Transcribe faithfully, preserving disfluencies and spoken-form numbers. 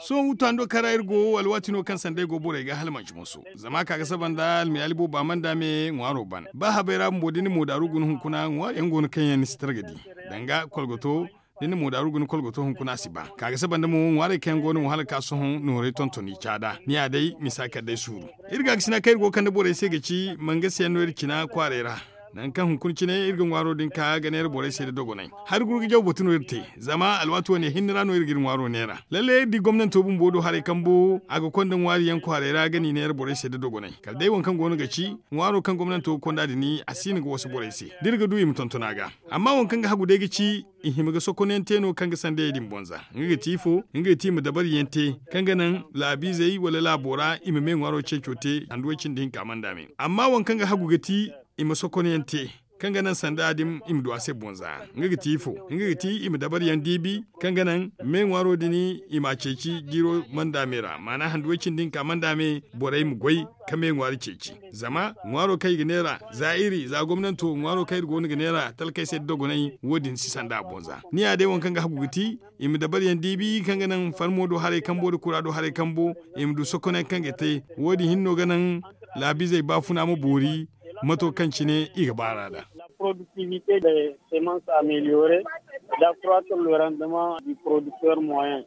Sohõ wutando kaŋ ra iri go alwaati no kaŋ sanda ay go borey ga hala manci moso. Zama ka ga saba nda almiyaali boobo a mana da me ŋwaaro ban ba habay ra bumbo da ni na moodaaru guna hunkuna ŋwaari yaŋ go no kaŋ yaŋ ni si targa di, danga kolgoto da ni na moodaaru guna kolgoto hunkuna a si ba ka ga saba nda mo ŋwaarey kaŋ yaŋ go no mo hala ka sohõ nooray tontoni caada ni ya day misa kala day suuru. Iri gaakasina kaŋ iri go ga kande borey se ga ci mangasiyaŋ no iri cina kwaaray ra. Nangu kaŋ hunkuna cine iri ga ŋwaaro din ka ga neera borey se nda dogonay. Hari guru ga jaw batu no iri te. Zama alwaati wane hinne ra no iri ga iri ŋwaaro neera lalle iri di gomnanto bumbo do haray kambo a ga konda ŋwaari yaŋ kwaaray ra ga n'i neera borey se nda dogonay kala day waŋ kaŋ go no ga ci ŋwaaro kaŋ gomnanto ga konda din a si no ga wasa borey se da iri ga du i ma tonton a ga. Amma waŋ kaŋ ga hagu day ga ci i hima ga sokonyaŋ te no kaŋ ga sandayey din bonza. Nga ga ti ifo? Nga ga ti i ma dabariyaŋ te kaŋ ga naŋ laabiizey wala laabo ra i ma me ŋwaaro ceeco te handu way cindi hinka manda me. Amma waŋ kaŋ ga hagu ga ti i ma sokonyaŋ te kaŋ ga naŋ sanda din i ma du a se bonza. Nga ga ti ifo? Nga ga ti i ma dabariyaŋ diibi kaŋ ga naŋ me ŋwaaro din i m'a ceeci jiiro manda me ra maana handu way cindi hinka manda me borey ma goy ka me ŋwaari ceeci. Zama ŋwaaro kaŋ i ga neera za iri za gomnanto ŋwaaro kaŋ iri go no ga neera talkey se nda dogonay wo- din si sanda a bonza. Ni ya day waŋ kaŋ ga hagu ga ti i ma dabariyaŋ diibi kaŋ ga naŋ farmo do haray kambo nda kura do haray kambo i ma du sokonyaŋ kaŋ ga te. Wo- din hinne no ga naŋ laabiizey baafuna ma boori mato kaŋ cine i ga baar'a nd'a. Productivité de semence améliorée, d'accroître le rendement du producteur moyen.